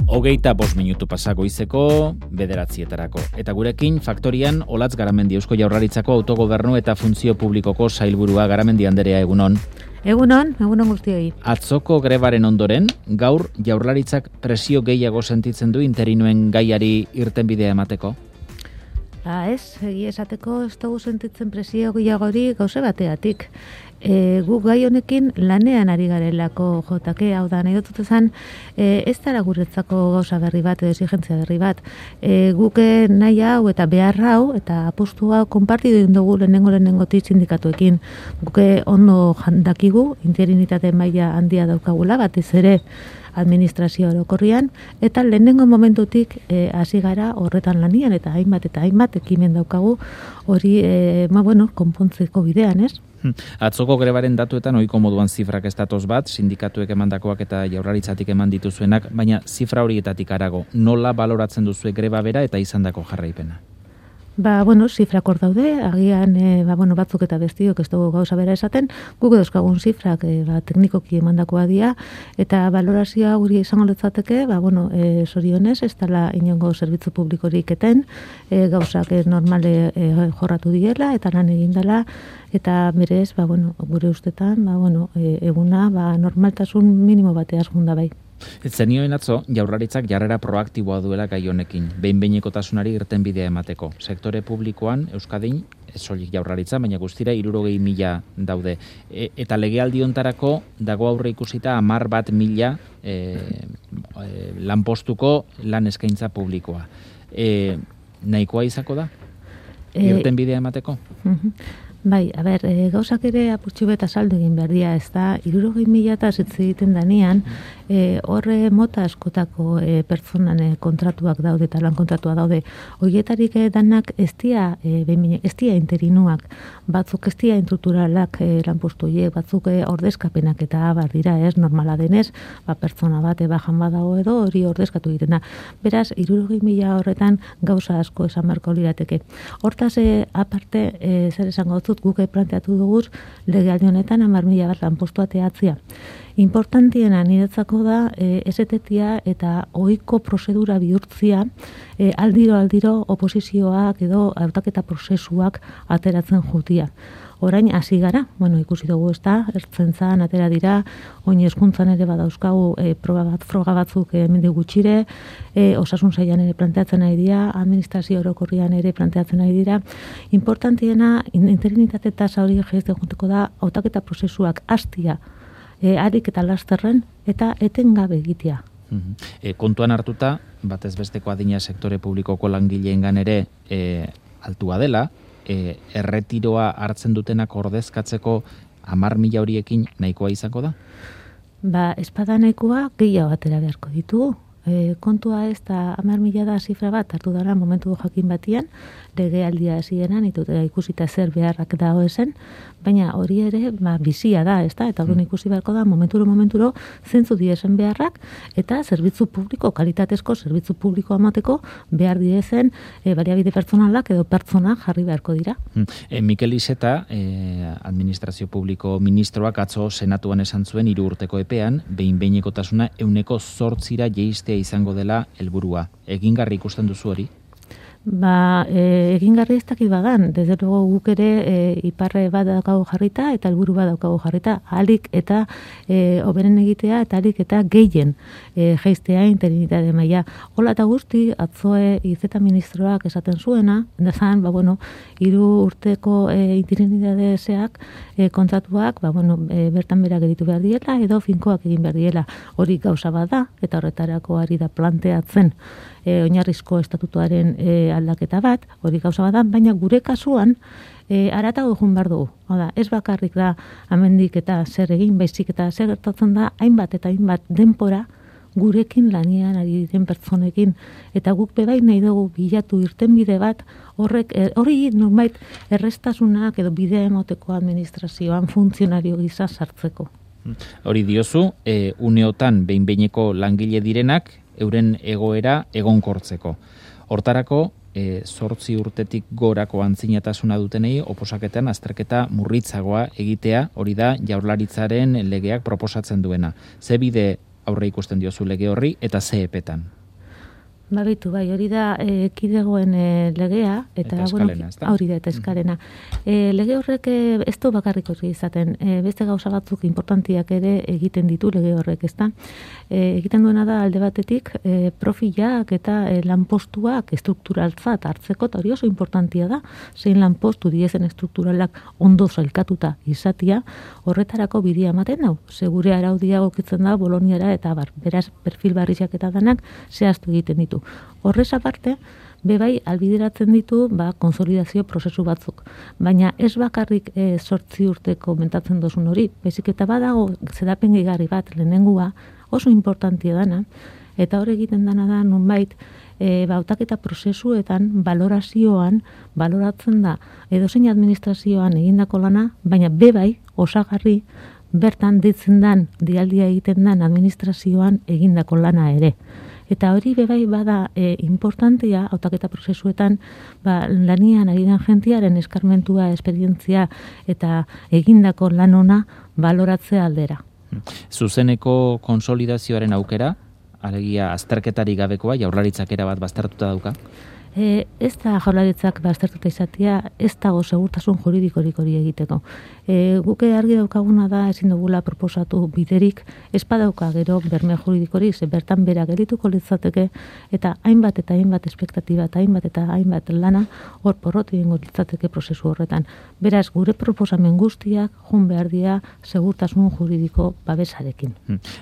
25 minutu pasako izeko, 9:00 Eta gurekin, Faktorian, Olatz Garamendi Eusko Jaurlaritzako autogobernu eta funtzio publikoko sailburua. Garamendi Anderea, egunon. Egunon guztioi. Atzoko grebaren ondoren, gaur Jaurlaritzak presio gehiago sentitzen du interinuen gaiari irtenbidea emateko? Egia esateko ez dugu sentitzen presio gehiago hori gauze bateatik. Guk gai honekin lanean ari garelako jotake, hau da, nahi dut ezan, ez dara guretzako gauza berri bat, edo exigentzia berri bat. Guk nahi hau eta behar hau, eta apostu hau konpartidu dugu lehenengotik sindikatuekin. Guk ondo dakigu, interinitate maila handia daukagula, batez ere administrazio orokorrian, eta lehenengo momentutik hasi gara horretan lanian, eta hainbat ekimen daukagu hori, konpontzeko bidean, ez? Atzoko grebaren datuetan ohiko moduan zifrak ez datoz bat, sindikatuek emandakoak eta Jaurlaritzatik eman dituzuenak, baina zifra horietatik harago, nola baloratzen duzue greba bera eta izandako jarraipena? Zifrak hor daude, agian batzuk eta bestiok ez dugu gauza bera esaten, guk edozkagun zifrak teknikoki emandakoa dira, eta balorazioa guri izango litzateke, zorionez, ez dela inongo zerbitzu publikorik eten, gauzak normale jorratu diela, eta lan egin dela, eta berez, gure ustetan, eguna normaltasun minimo bateaz gunda bai. Zenioen atzo, Jaurlaritzak jarrera proaktiboa duela gai honekin, behin-behinekotasunari irtenbidea emateko. Sektore publikoan, Euskadin, ez soilik Jaurlaritza, baina guztira 60.000 daude. Eta legealdi hontarako dago aurre ikusita 11.000 lanpostuko lan eskaintza publikoa. Nahikoa izako da? Irtenbidea emateko? Bai, gauzak ere apurtxu beta saldu egin behar dira, ez da, 60.000 eta zitze egiten danean, horre mota askotako pertsonan kontratuak daude eta lan kontratua daude. Horietarik danak ez dira interinuak, batzuk ez dira instrukturalak lanpostu horiek, batzuk ordezkapenak eta abar dira, ez, normala denez, pertsona bat bajan badago edo hori ordezkatu egiten da. Beraz, 60.000 horretan gauza asko esan beharko lirateke. Hortaz, aparte, zer esango dut, guk planteatu duguz legealdi honetan 10.000 bat lanpostua teatzia. Importantiena niretzako da esetetia eta ohiko prozedura bihurtzia aldiro oposizioak edo hautaketa prozesuak ateratzen jutia. Orain hasi gara, ikusi dugu ez da, ertzentzan atera dira, oin hezkuntzan ere badauzkagu froga batzuk hemendik gutxire, osasun sailan ere planteatzen nahi dira, administrazio orokorrian ere planteatzen nahi dira. Importantiena, interinitate tasa hori jaizte junteko da, hautaketa prozesuak hastia, harik eta lasterren, eta etengabe egitea. Kontuan hartuta, batez besteko adina sektore publikoko langileengan ere altua dela, erretiroa hartzen dutenak ordezkatzeko 10.000 horiekin nahikoa izango da? Espada nahikoa gehiago atera beharko ditugu. Kontua ez da 10.000 da zifra bat hartu dara momentu jakin batian, legealdia hasieran ikusita zer beharrak dago esen, baina hori ere bizia da, ez da, eta hori ikusi beharko da momenturo zentzu diezen beharrak, eta zerbitzu publiko, kalitatezko zerbitzu publiko amateko behar diezen baliabide pertsonalak edo pertsonak jarri beharko dira. Mikel Ixeta, administrazio publiko ministroak atzo senatuan esan zuen 3 urteko epean, behin-behinekotasuna 8% jeistea izango dela helburua. Egingarri ikusten duzu hori? Egingarri ez dakit badan, desde luego guk ere iparre bat daukago jarrita eta helburu bat daukago jarrita, ahalik eta hoberen egitea eta ahalik eta gehien jaistea interinitate maila. Hola eta guzti, atzoe izeta ministroak esaten zuena, dezan, 3 urteko interinitateak kontratuak, bertan berak editu behar diela edo finkoak egin behar diela. Hori gauza bat da, eta horretarako ari da planteatzen oinarrizko estatutuaren aldaketa bat, hori gauza bat da, baina gure kasuan aratago egun behar dugu. Ez bakarrik da amendik eta zer egin, baizik eta zer gertatzen da hainbat eta hainbat denpora gurekin lanian ari diren pertsonekin, eta guk bebai nahi dugu bilatu irtenbide bat, hori normait errestasunak edo bidea emoteko administrazioan funtzionario gisa sartzeko. Hori diozu, uneotan behin-behineko langile direnak, euren egoera egonkortzeko. Hortarako, 8 urtetik gorako antzinatasuna dutenei oposaketan azterketa murritzagoa egitea, hori da Jaurlaritzaren legeak proposatzen duena. Ze bide aurre ikusten diozu lege horri eta ze epetan? Babitu, bai, hori da kidegoen legea, eta eskalena, hori da, eta eskalena. Lege horrek ez du bakarrik hori izaten, beste gauza batzuk importantiak ere egiten ditu lege horrek, ezta? Egiten duena da alde batetik profilak eta lanpostuak estrukturaltzat hartzeko, eta hori oso importantia da, zein lanpostu diezen estrukturalak ondo zailkatuta izatia, horretarako bidea ematen dau. Segure araudia gokitzen da Boloniara eta beraz perfil barrizak eta danak zehaztu egiten ditu. Horrez aparte, bebai albideratzen ditu konsolidazio prozesu batzuk. Baina ez bakarrik 8 urteko mentatzen dozun hori, bezik eta badago zedapen gehigarri bat lehenengua oso importantia dana, eta hor egiten dana da nonbait hautaketa prozesuetan, balorazioan, baloratzen da edozein administrazioan egindako lana, baina bebai osagarri bertan ditzen dan, dialdia egiten dan administrazioan egindako lana ere. Eta hori bebai bada importantia hautaketa prozesuetan lanian ari den jentiaren eskarmentua, esperientzia eta egindako lan ona baloratzea aldera. Zuzeneko konsolidazioaren aukera, alegia azterketarik gabekoa, Jaurlaritzak erabat baztertuta dauka? Ez da Jaurlaritzak baztertuta izatea, ez dago segurtasun juridikorik hori egiteko. Guke argi daukaguna da ezin dugula proposatu biderik, ez badauka gero berme juridikorik, bertan bera gerituko litzateke, eta hainbat espektatiba eta hainbat lana hor porrot egingo litzateke prozesu horretan. Beraz, gure proposamen guztiak joan behar dira segurtasun juridiko babesarekin.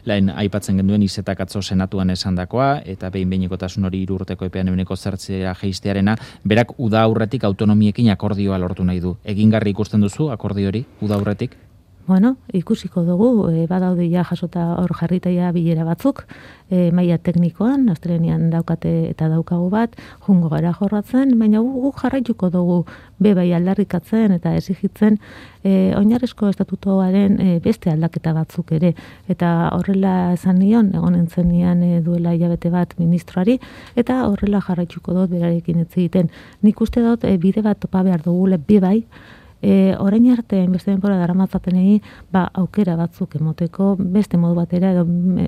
Lehen aipatzen genduen Izetak atzo senatuan esandakoa, eta behin-behinekotasun hori 3 urteko epean 9% jaistearena, berak uda aurretik autonomiekin akordioa lortu nahi du. Egingarri ikusten duzu akordio hori uda aurretik? Bueno, ikusiko dugu, badaude ja jasota hor jarritaia bilera batzuk, maila teknikoan, astelehenean daukate eta daukagu bat, jungo gara jorratzen, baina guk jarraituko dugu bebai aldarrikatzen eta exigitzen oinarrizko estatutoaren beste aldaketa batzuk ere. Eta horrela esan nion, egon entzenean duela hilabete bat ministroari, eta horrela jarraituko dut berarekin ez egiten. Nik uste dut bide bat topa behar dugule bebai, orain arte beste denbora daramatzatenei aukera batzuk emoteko beste modu batera edo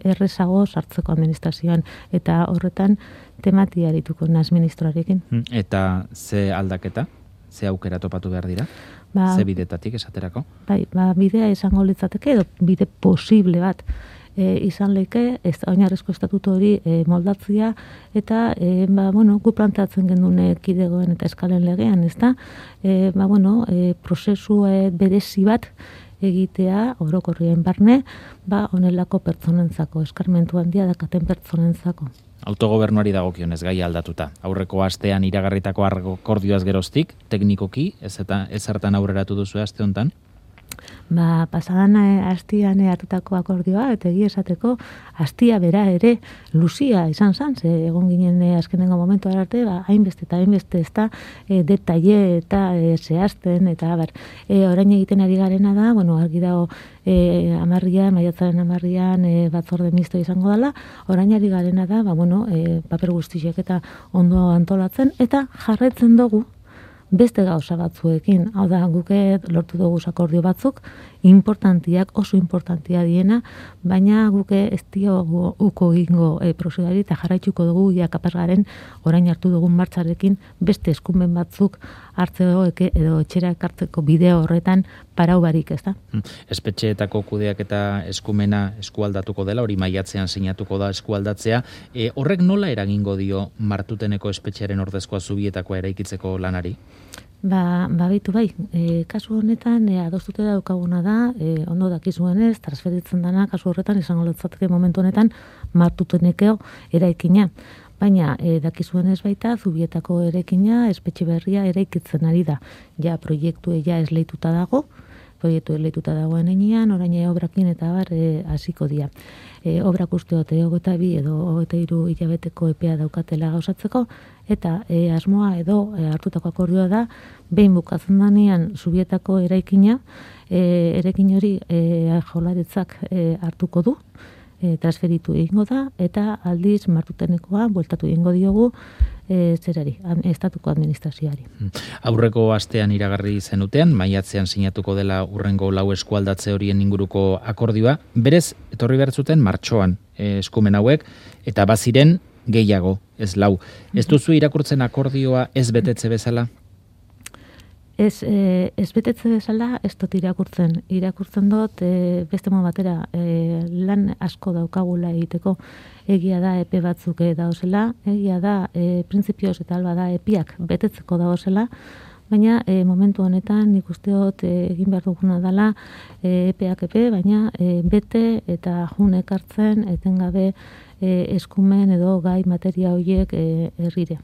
errezago sartzeko administrazioan, eta horretan tematia arituko naiz ministroarekin. Eta ze aldaketa? Ze aukera topatu behar dira? Ze bidetatik esaterako? Bidea izango litzateke edo bide posible bat izan leke, oinarrizko estatuto hori moldatzea, eta gu planteatzen gendune kidegoen eta eskalen legean, ezta? Prozesu berezi bat egitea orokorrien barne, honelako pertsonentzako, eskarmentu handia dakaten pertsonentzako. Autogobernuari dagokionez gai aldatuta. Aurreko astean iragarritako akordioaz geroztik, teknikoki, ez zertan aurreratu duzu aste hontan? Pasadan astian hartutako akordioa, eta egia esateko, astia bera ere luzia izan zan, ze egon ginen azkenengo momentu arte, hainbeste eta hainbeste ez da detaile eta zehazten, eta orain egiten ari garena da, argi dago maiatzaren 10 batzorde misto izango dela, orain ari garena da, paper guztiak eta ondo antolatzen, eta jarraitzen dugu beste gauza batzuekin, hau da, guke lortu dugu akordio batzuk, oso importantia diena, baina guke ez diogu uko egingo prozedurari eta jarraituko dugu kapaz garen orain hartu dugun martxarekin beste eskumen batzuk hartzeko edo etxera ekartzeko bideo horretan parau barik, ez da? Espetxeetako kudeak eta eskumena eskualdatuko dela, hori maiatzean sinatuko da eskualdatzea. Horrek nola eragingo dio Martuteneko espetxearen ordezkoa Zubietakoa eraikitzeko lanari? Bitu bai, kasu honetan adostute daukaguna da, ondo dakizuenez, transferitzen dana, kasu horretan izango litzateke momentu honetan Martuteneko eraikina. Baina dakizuenez baita Zubietako eraikina, espetxe berria eraikitzen ari da. Ja proiektu esleituta dagoen enean, orain obrakin eta hasiko dira. Obrak uste 22 edo 23 hilabeteko epea daukatela gauzatzeko, eta asmoa edo hartutako akordioa da, behin bukatzen danean Zubietako eraikina, eraikin hori Jaurlaritzak hartuko du, transferitu egingo da, eta aldiz Martutenekoa bueltatu egingo diogu estatuko administrazioari. Aurreko astean iragarri zenutean, maiatzean sinatuko dela hurrengo 4 eskualdatze horien inguruko akordioa, berez etorri behar zuten martxoan eskumen hauek, eta baziren gehiago ez 4. Ez duzu irakurtzen akordioa ez betetze bezala? Ez betetze bezala ez dut irakurtzen. Irakurtzen dut beste modu batera lan asko daukagula egiteko. Egia da epe batzuk dauzela, egia da printzipioz eta alba da epiak betetzeko dauzela, baina momentu honetan nik uste dut egin behar duguna dela epeak epe, baina bete eta jun ekartzen etengabe eskumen edo gai materia horiek herrire.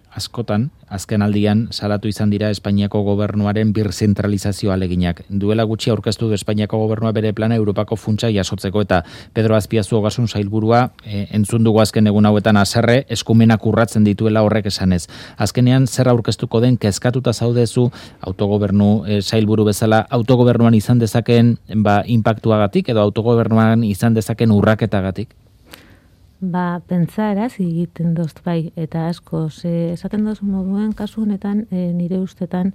Askotan, azken aldian salatu izan dira Espainiako gobernuaren birzentralizazio aleginak. Duela gutxi aurkeztu du Espainiako gobernua bere plana Europako funtsa jasotzeko eta Pedro Azpiazu Ogasun sailburua entzun dugu azken egun hauetan haserre eskumenak urratzen dituela horrek esanez. Azkenean zer aurkeztuko den kezkatuta zaudezu autogobernu sailburu bezala autogobernuan izan dezakeen inpaktuagatik edo autogobernuan izan dezakeen urraketagatik? Pentsaeraz egiten dozt bai, eta asko, esaten doz moduen kasu honetan nire ustetan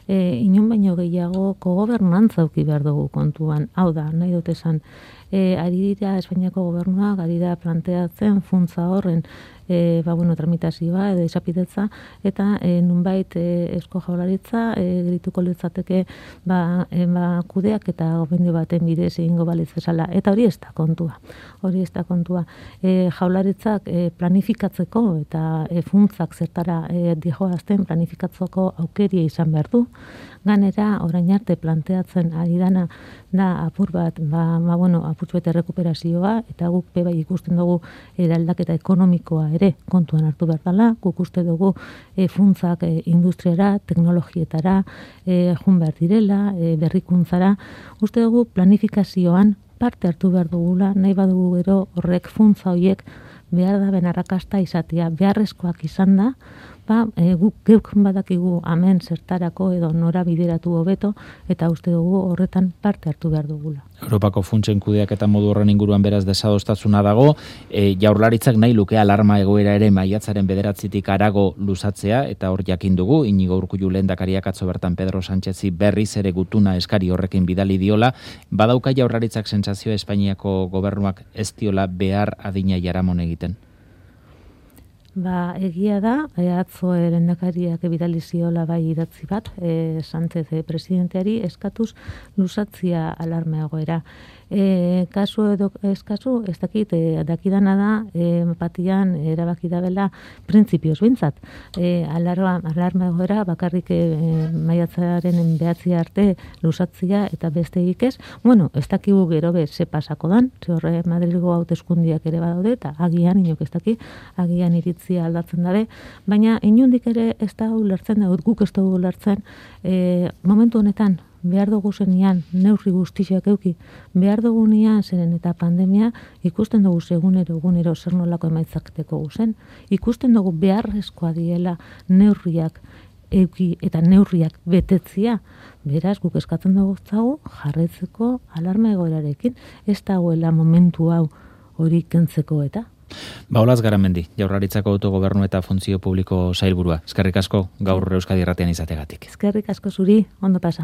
inon baino gehiago kogobernantza auki behar dugu kontuan. Hau da, nahi dut esan, ari dira Espainiako gobernuak, ari da planteatzen funtza horren tramitazioa edo esapidetza, eta nunbait Eusko Jaurlaritza gerituko litzateke kudeak eta gomendio baten bidez egingo balitz bezala. Eta hori ez da kontua. Jaurlaritzak planifikatzeko eta funtzak zertara dijoazten planifikatzeko aukeria izan behar du. Ganera, orain arte planteatzen ari dana da apur bat, apurtxo eta rekuperazioa, eta guk bai ikusten dugu eraldaketa ekonomikoa ere kontuan hartu behar dela, guk uste dugu funtzak industriara, teknologietara, jun behar direla, berrikuntzara, uste dugu planifikazioan parte hartu behar dugula, nahi badugu gero horrek funtza horiek behar da benarrakasta izatea, beharrezkoak izan da, guk geuk badakigu hemen zertarako edo nora bideratu hobeto eta uste dugu horretan parte hartu behar dugula. Europako funtsen kudeaketa modu horren inguruan beraz desadostasuna dago, Jaurlaritzak nahi luke alarma egoera ere maiatzaren 9 harago luzatzea, eta hor jakin dugu, Iñigo Urkullu lehendakariak atzo bertan Pedro Sánchezi berriz ere gutuna eskari horrekin bidali diola, badauka Jaurlaritzak sentsazioa Espainiako gobernuak ez diola behar adina jaramon egiten? Egia da, atzo lehendakariak bidali ziola bai idatzi bat, Sánchez presidenteari eskatuz luzatzia alarma egoera. Kasu edo eskazu, ez dakit, dakidana da, batian erabaki da bela printzipioz bintzat. Alarma egoera bakarrik maiatzaren 9 arte luzatzia eta beste ez. Ez dakigu gero ze pasako dan, ze horre Madrilgo hauteskundiak ere badaude, eta agian, inok ez daki, agian iritzia aldatzen dabe, baina inundik ere ez da ulertzen, guk ez dugu ulertzen, momentu honetan, behar dugu zenian, neurri guztiak euki, behar dugu nian zeren eta pandemia, ikusten dugu egunero zer nolako emaitzaketeko guzen, ikusten dugu beharrezkoa diela neurriak euki eta neurriak betetzia, beraz guk eskatzen dugu jarretzeko alarma egoerarekin, ez dagoela momentu hau hori kentzeko eta. Olaz Garamendi, Jaurlaritzako autogobernu eta funtzio publiko sailburua. Eskerrik asko gaur Euskadi Irratian izategatik. Eskerrik asko zuri, ondo pasa.